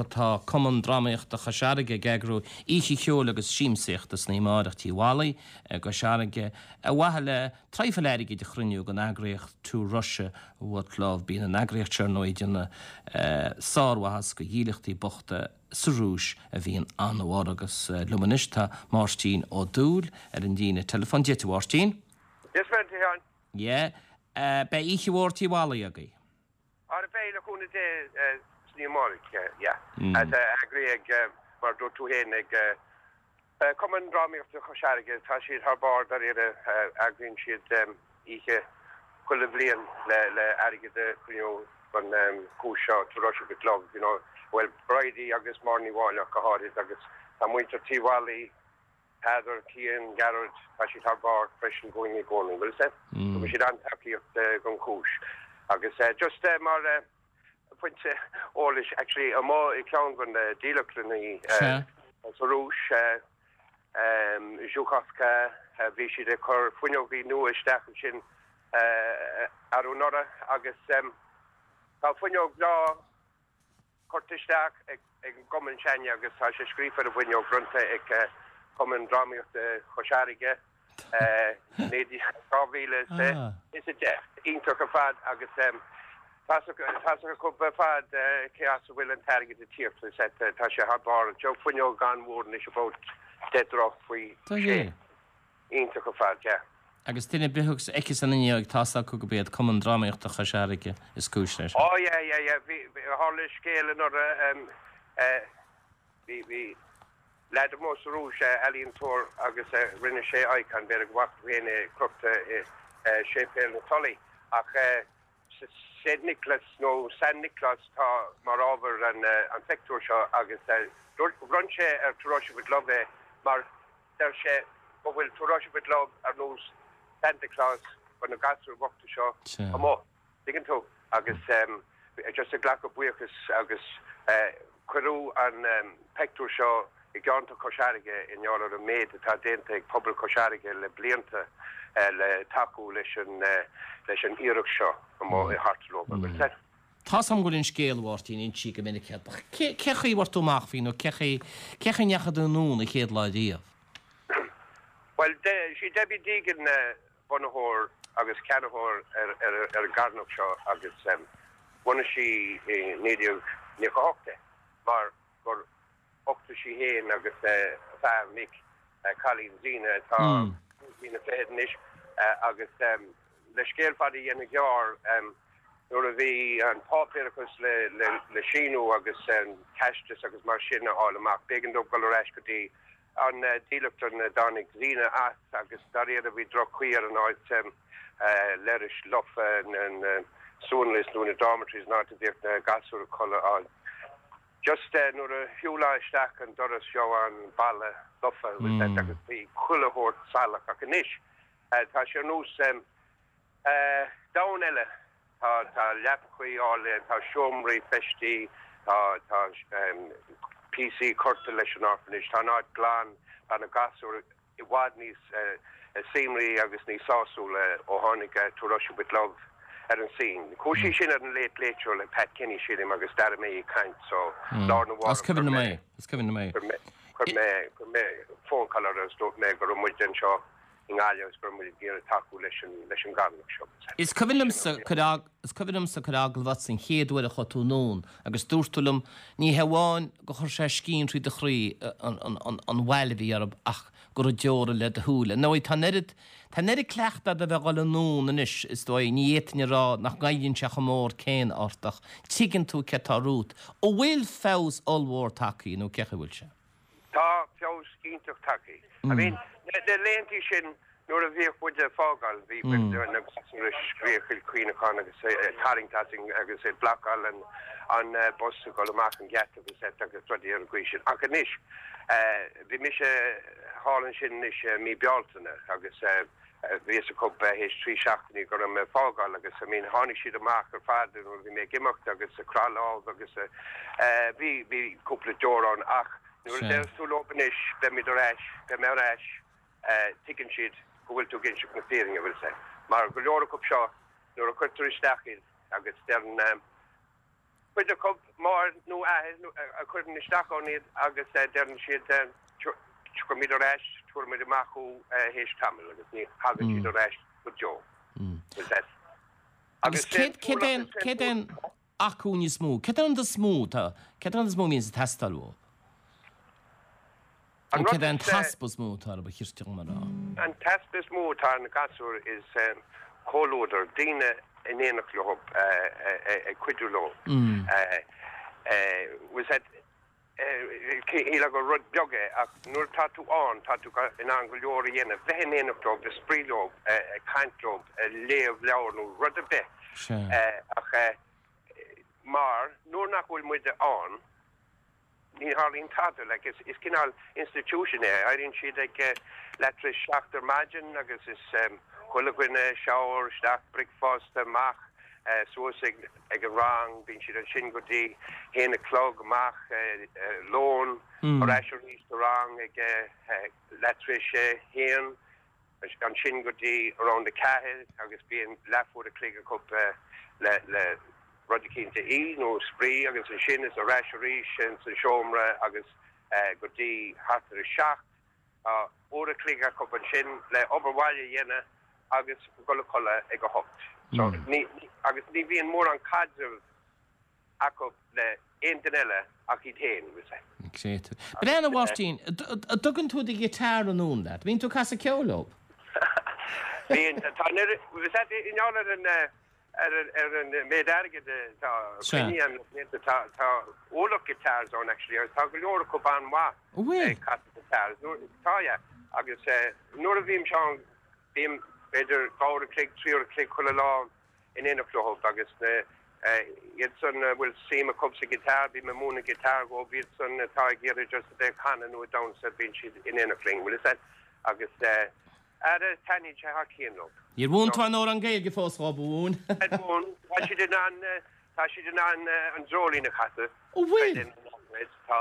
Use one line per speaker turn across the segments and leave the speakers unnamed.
Tá Cumann Drámaíochta Chois Fharraige ag eagrú oíche cheoil agus siamsaíochta san oíche amárach Tigh Mholly i gCois Fharraige ar mhaithe le traidhfil airgid a chruinniú don eagraíocht To Russia With Love. Bíonn an eagraíocht seo ar ndóigh ag déanamh sármhaitheas do dhílleachtaí bochta sa Rúis a bhíonn an-mhór agus liom anois tá Máirtín Ó Dúill ar an líne teileafóin. Dia duit a Mháirtín.
Dia is Muire duit a Sheáin.
Yeah. Beidh oíche mhór Tigh Mholly agaibh.
Ara beidh, le cúnamh Dé, san oíche amárach, yeah. Tá eagraithe ag, mar a dúirt tú féin, ag Cumann Drámaíochta Chois Fharraige. Tá siad thar barr dáiríre, eagraíonn siad oíche chuile bhliain le airgead a chruinniú don chúis seo, To Russia With Love, you know. Bhuel, Bridie agus Máire Ní Mháille ach go háirid agus tá muintir Tí Mholly, Peadar, Cian, Gearóid, tá siad thar barr freisin dhúinn i gcónaí, bhfuil 'fhios a'd? Tugann siad an-tacaíocht don chúis. Agus just mar phointe eolais, actually amuigh i gceann de na dílleachtlannaí sa Rúis, Zhukovka, bhí siad ag cur fuinneogaí nua isteach ansin arú anuraidh agus tá fuinneog bhreá, Curtha isteach ag an gcumann s'againne agus tá sé scríofa ar an bhfuinneog, bronnta ag Cumann Drámaíochta Chois Fharraige, 2010. Iontach ar fad agus tá's acu ar fad cé as a bhfuil an t-airgead ag tíocht. Tá sé thar barr. Fuinneog an-mhór anois about 10 dtroigh faoi sé. Iontach ar fad, yeah.
Agus duine ar bith a fheicfeas an fhuinneog, tá's acu gurb iad Cumann Drámaíochta Chois Fharraige is cúis leis.
Oh yeah, yeah, yeah, bhí, tharla scéal anuraidh, em, eh, bhí, bhí leaid amuigh sa Rúis, eh, ealaíontóir agus eh, rinne sé icon, b'fhéidir go bhfaca tú féin é, crochta i, eh, Séipéal na Tulaí, ach eh, Saint Nicholas nó San Nioclás atá mar ábhar an, eh, an phictiúir seo agus eh, dúirt, bhronn sé ar To Russia With Love é mar Deir sé go bhfuil To Russia With Love ar nós Santa Claus do na gasúir bhochta seo amuigh, tuigeann tú, agus just ag glacadh buíochas agus cuireadh an peictiúr seo i gceantar Chois Fharraige i ngeall ar an méid atá déanta ag pobal Chois Fharraige le blianta le tacú leis an leis an iarracht seo amuigh i Hartlepool agus
Tá's a'm go bhfuil an scéal, a Mháirtín, insithe go minic agat, ach cé, cé chaoi a bhfuair tú amach faoi nó cé chaoi, cé chaoi a ndeachaigh tú anonn an chéad lá riamh?
Bhuel, sí Debbie Deegan bunaitheoir agus ceannaitheoir ar, ar, ar an gcarthanacht seo agus bhunaigh sí i 1998 é mar gur uchtaigh sí féin agus a fear Mick cailín Zena atá cúig bliana fichead anois agus le scéal fada a dhéanamh gearr nuair a bhí an páipéarachas le síniú agus an teastas agus mar sin a fháil amach b'éigean dóibh dul ar ais go dtí an dílleachtlann a dtáinig Zena as agus dáiríre bhí droch-chaoi ar an áit leithris lofa na suanlios nó na dormitories an áit a bhíodh na gasúir ag codladh á Just nuair a shiúlfá isteach an doras gheofá an balla lofa agus bhí chuile shórt salach ach anois tá sé ar nós domhan eile. Tá tá leapachaí áille, tá seomraí feistí, tá tá píosaí curtha leis an orphanage, tá an áit glan, tá na gasúir i bhfad níos suimrí agus níos sásúla ó tháinig To Russia With Love ar an scene. Chuaigh sí sin ar an Late Late Show le Pat Kenny sílim agus d'airigh mé í ag caint so lá arna
mhárach Is cuimhin liom é, is cuimhin liom é.
Chuir mé, chuir mé phone call uirthi agus dúirt mé go raibh muid anseo i nGaillimh agus go raibh muid ag iarraidh tacú leis an, leis an gcarthanacht seo.
Is cuimhin liomsa cur Is cuimhin liomsa cur agallamh ort an chéad uair a chuaigh tú anonn agus dúirt tú liom, ní hé amháin gur chuir sé scian thrí do chroí an bhail a bhí orthu ach go raibh deora le do shúile. Ar ndóigh, tá an oiread, tá an oiread cleachta agat a bheith ag dhul anonn anois, is dóigh, ní fhéadfainn a rá nach ngoilleann sé chomh mór céanna ort ach tuigeann tú céard atá romhat. An bhfuil feabhas ollmhór tagtha nó cé chaoi a bhfuil sé?
Tá feabhas iontach tagtha. I mean, na laethantaí sin nuair a bhíodh muid ag fágáil, bhí na gasúir ag scréachaíl caoineachán agus ag tarraingt asainn agus ag blocáil an bus ag dul amach an geata agus agus rudaí ar an gcaoi sin. Ach anois, bhí mise thall ansin anois i mí Bealtaine agus bhí fhios acu théis 3 seachtainí go raibh mé ag fágáil agus I mean tháinig siad amach ar fad nuair a bhí mé ag imeacht agus ag croitheadh lámh agus bhí bhí cúpla deor ann ach nuair a deireas tú leo anois beimid ar ais, beidh mé ar ais, tuigeann siad go bhfuil tú ag inseacht na fírinne, bhfuil fhios a'd. Mar go leor acu seo nuair a chuirtear isteach iad agus deireann. Cuid acu, máthair nó athair a chuireann isteach ann iad agus deireann siad tiocfaimid ar ais, tabharfaimid amach thú théis tamaill agus ní thagann siad ar ais go deo.
Agus céard é an acmhainn is mó, céard é an rud is mó atá, céard é an rud is mó a bhíonns ag teastáil uathu?
An
Nó
rud
céard é an
is.
t-easpa is mó atá orthu, ba chirte dhom a rá?
An t-easpa is mó atá ar na gasúir is comhluadar, daoine in éineacht leo, ag cuidiú leo. Bhfuil 's a'd, shílfeá gur rud beag é ach nuair atá tú ann, tá tú in ann go leor a dhéanamh, bheith in éineacht leo, ag spraoi leo, ag caint leo, ag léamh leabhar nó rud ar bith. Ach mar nuair nach bhfuil muide ann, Ní tharlaíonn tada, like, is, is cineál institution é. Éiríonn siad ag leath tar éis 7 ar maidin agus is chuile dhuine, shower, isteach, bricfeasta, amach, suas ag, ag an rang, bíonn siad ansin go dtí haon a chlog, amach, lón, ar ais arís sa rang ag leath tar éis a haon. ansin go dtí around 4 agus bíonn leathuair a chloig acu le le rud eicínt a ithe nó spraoi agus ansin is ar ais arís ins an seomra agus go dtí thart ar a seacht. Tá uair a chloig acu ansin le obair bhaile a dhéanamh agus dul a chodladh ag a hocht. So ní agus ní bhíonn mórán caidreamh acu le aon duine eile ach iad féin, you see.
Créatúr. Breathnaigh, a Mháirtín, an dtugann tú do ghiotár anonn leat? Bíonn tú ag casadh ceoil leo?
Bíonn, tá an oiread, bhfuil 's a'd, i ngeall ar an, ar an, ar an méid airgid atá coinnithe agam le blianta, tá, tá ualach guitars ann actually agus tá go leor acu an-mhaith ag casadh guitars. Nuair, tá, yeah. Agus nuair a bhímse ann, bím b'fhéidir 2 uair a chloig, 3 uair a chloig chuile lá in éineacht leo agus na iad san a bhfuil suim acu sa ghiotár, bím ag múineadh guitar dhóibh, iad san atá ag iarraidh just a bheith ag canadh nó ag damhsa, bíonn siad in éineacht linn, bhfuil 'fhios a'd, agus ara taitníonn sé thar cionn leo.
Níor mhúin tú aon amhrán Gaeilge fós dhóibh, a mhúin?
Ar mhúin, tá siad in ann, tá siad in ann an dreoilín a chasadh.
Ó bhfuil?
Tá.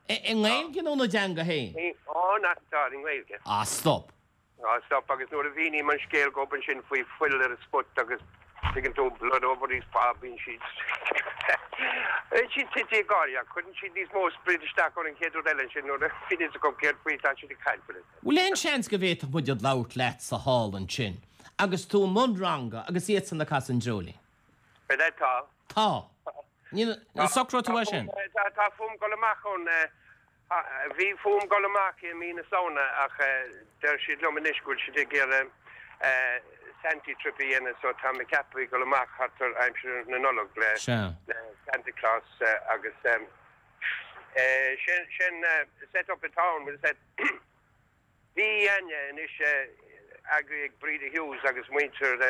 I nGaeilge nó ina dteanga féin?
Ó, nach, tá, i nGaeilge.
Ah, stop.
Á, stop, agus nuair a mhíním an scéal dhóibh ansin faoi fuil ar an spot agus tuigeann tú, blood over his paw, bíonn siad, bíonn siad tite ag gáire ach cuireann siad níos mó sprid isteach ann an chéad rud eile ansin nuair a bhíonn fhios acu céard faoi atá siad ag caint, bhfuil fhios a'd.
Bhfuil aon seans go bhféadfadh muid ag labhairt leatsa thall ansin agus tú i mbun ranga agus iadsan ag casadh an dreoilín?
Bhuel, tá.
Tá. Ní, socróidh tú é sin?
Tá fúm dul amach ann Bhí fúm dul amach i mí na Samhna ach deir siad liom anois go bhfuil siad ag iarraidh Santy trip a dhéanamh so tá mé ceaptha dul amach thart ar aimsir na Nollag le Santa Claus agus sin set up atá ann, bhfuil 'fhios a'd. Bhí againne anois eagraithe ag Breda Hughes agus muintir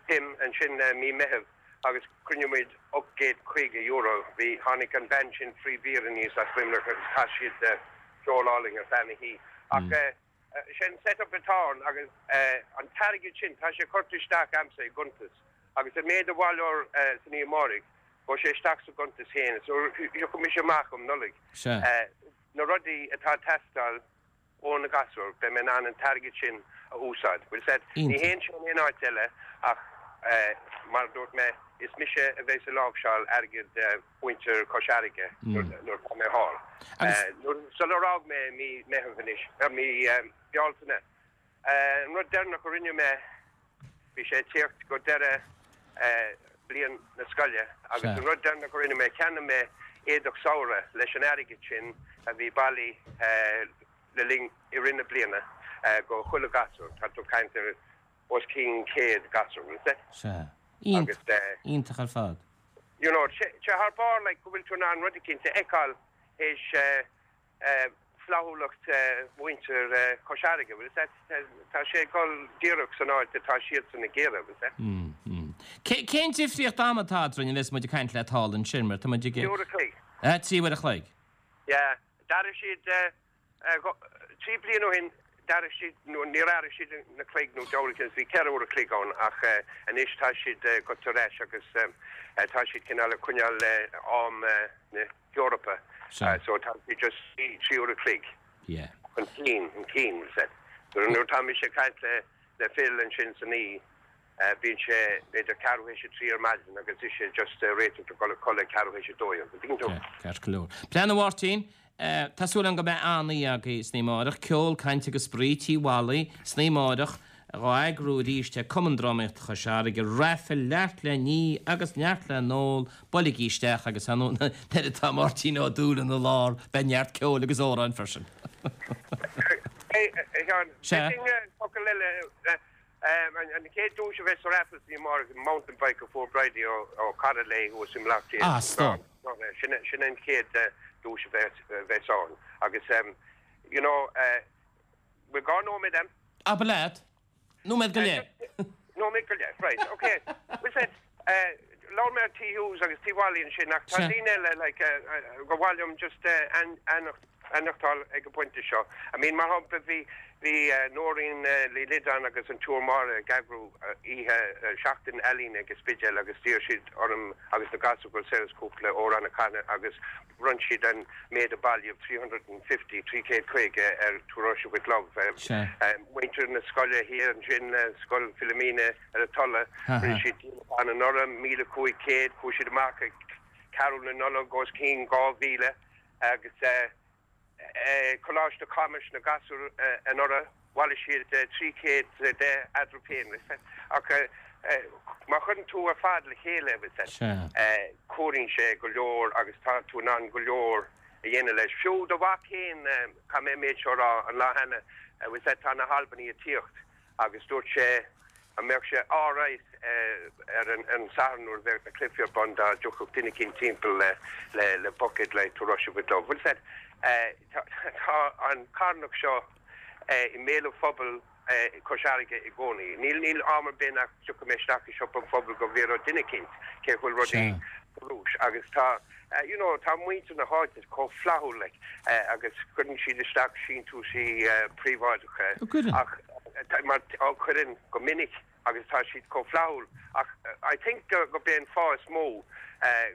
Tim ansin mí Meitheamh agus chruinnigh muid €850. Bhí, tháinig an band sin Free Beer aníos as Luimneach agus chas siad ceol álainn ar feadh na hoíche. Ach sin set up atá ann agus an t-airgead sin, tá sé curtha isteach a'msa i gcuntas agus an méid a bhaileofar san oíche amáireach, gabhfaidh sé isteach sa gcuntas féin. So tiocfaidh mise amach um Nollaig. Na rudaí atá ag teastáil ó na gasúir, beidh mé in ann an t-airgead sin a úsáid. Bhfuil 'fhios a'd, ní théann sé in aon áit eile ach mar a dúirt mé, is mise a bheas ag láimhseáil airgead mhuintir Chois Fharraige nuair atá mé thall. Sular fhág mé i mí Meitheamh anois, mí Bealtaine, An rud deireanach a rinne mé, bhí sé ag tíocht go deireadh bliain na scoile agus an rud deireanach a rinne mé, cheannaigh mé éadach samhraidh leis an airgead sin a bhí bailithe le linn, i rith na bliana go chuile gasúr. Tá tú ag caint ar os cionn 100 gasúr, bhfuil 'fhios a'd?
Sea. Iontach. Iontach ar fad.
You know, sé thar barr like go bhfuil tú in ann rud eicínt a fheiceáil théis flaithiúlacht mhuintir Chois Fharraige, bhfuil 'fhios a'd, tá sé ag dul díreach san áit atá siadsan ag iarraidh, bhfuil 'fhios a'd.
Cén difríocht ama atá eadrainn a bheas muid ag caint leat thall ansin, mar tá muid ag.
3 uair a chloig.
3 uair a chloig.
Yeah. D'athraigh siad, 3 bliana ó shin, d'athraigh siad, nó níor athraigh siad na cloig nó deabhal cionn is bhí 4 uair a chloig ann ach anois tá siad goite ar ais agus tá siad cineál ag coinneáil le am na hEorpa so tá siad just 3 uair a chloig chun cinn, chun cinn, bhfuil 'fhios a'd. Nuair atá mise ag caint le le Phil ansin san oíche. Bíonn sé b'fhéidir ceathrú théis a 3 ar maidin agus ise just ag réiteach le dul a codladh ag ceathrú théis a 12, an dtuigeann tú?
Ceart go leor. Breathnaigh a Mháirtín, tá súil agam go mbeidh an-oíche agaibh san oíche amáireach. Ceol, caint agus spraoi, Tigh Mholly, san oíche amáireach, dhá eagrú arís ag Cumann Drámaíochta Chois Fharraige, raifil, neart le ní agus neart le n-ól, buailigí isteach agus ar ndóigh nuair atá Máirtín Ó Dúill ina lár beidh neart ceoil agus amhráin freisin.
Hey, a Sheáin, Sea. focal eile, An chéad duais a bheas sa raffle san oíche amárach, mountain bike a fuair Bridie ó chara léi thuas i mBleá Cliath.
Ah, stop.
Sin an chéad duais a bheas ann. Agus, you know, bhfuil dhá nóiméad a'm?
Abair leat. Nóiméad go leith.
Nóiméad go leith, right, ok. Bhfuil Labhair mé ar Tigh Hughes agus Tigh Mholly ansin ach tá daoine eile like gur mhaith liom just ainmneachtáil ag an bpointe seo. I mean mar shampla bhí bhí Nóirín Ní Loideáin agus an tSiúr Máire ag eagrú oíche seachtain ealaíne ag an Spidéal agus d'iarr siad orm agus na gasúir go Saoras cúpla amhrán a chanadh agus bhronn siad an méid a bailíodh, 350, 350 ar To Russia With Love. Muintir na scoile thiar ansin, Scoil Philomena, ar an Tulaigh. Rinne siad díolachán anuraidh, 1,500, chuaigh siad amach ag Carúil na Nollag os cionn 2,000 agus Coláiste Chamuis na gasúir anuraidh, bhailigh siad 310 eatarthu féin. Ach má chuireann tú ar fad le chéile, comhaireann sé go leor agus tá tú in ann go leor a dhéanamh leis. Fiú do mhac féin, caithfidh mé an méid seo a rá, an lá cheana, tá na hAlbanaigh ag tíocht. agus dúirt sé an mbeadh sé alright ar an Satharn nuair a bheadh na cluichí ar bun dá dtiocfadh duine eicínt timpeall le le bucket like to Russia with love. Bhfuil fhios a'd, tá an carthanacht seo i mbéal an phobail Cois Fharraige i gcónaí. Níl níl am ar bith nach dtiocfaidh mé isteach i siopa an phobail go bhfiafródh duine eicínt cé go bhfuil rudaí sa Rúis agus tá You know, tá muintir na háite chomh flaithiúil like agus cuireann siad isteach síntiúisí príobháideacha ach mar á cuireann go minic agus tá siad chomh flaithiúil ach I think go b'é an fáth is mó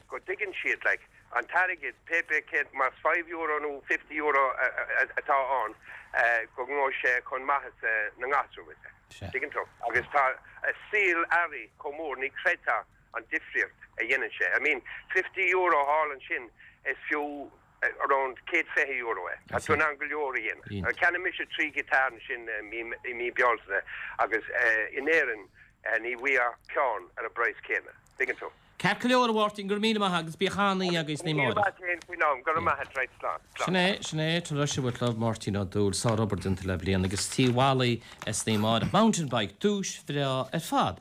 go dtuigeann siad like an t-airgead pé bith céard más €5 nó €50 atá ann go ngabhfaidh sé chun maitheasa na ngasúr, tuigeann tú? Agus tá a saol athraithe chomh mór, ní chreidfeá an difríocht a dhéanann sé. I mean, €50 thall ansin, is fiú around €120 é. Tá tú in ann go leor a dhéanamh. Cheannaigh mise 3 ghiotár ansin i mí Bealtaine agus in Éirinn ní bhfaighfeá ceann ar an bpraghas céanna. Tuigeann tú?
Ceart go leor, a Mháirtín, go raibh míle maith agat agus bíodh an-oíche agaibh san oíche
amárach. Míle maith agat faoin am. Go raibh maith agat, right, slán.
Slán. Sin é, sin é, To Russia With Love, Máirtín Ó Dúill, sárobair déanta le bliain agus Tigh Mholly san oíche amárach. Mountain Bike, duais bhreá ar fad.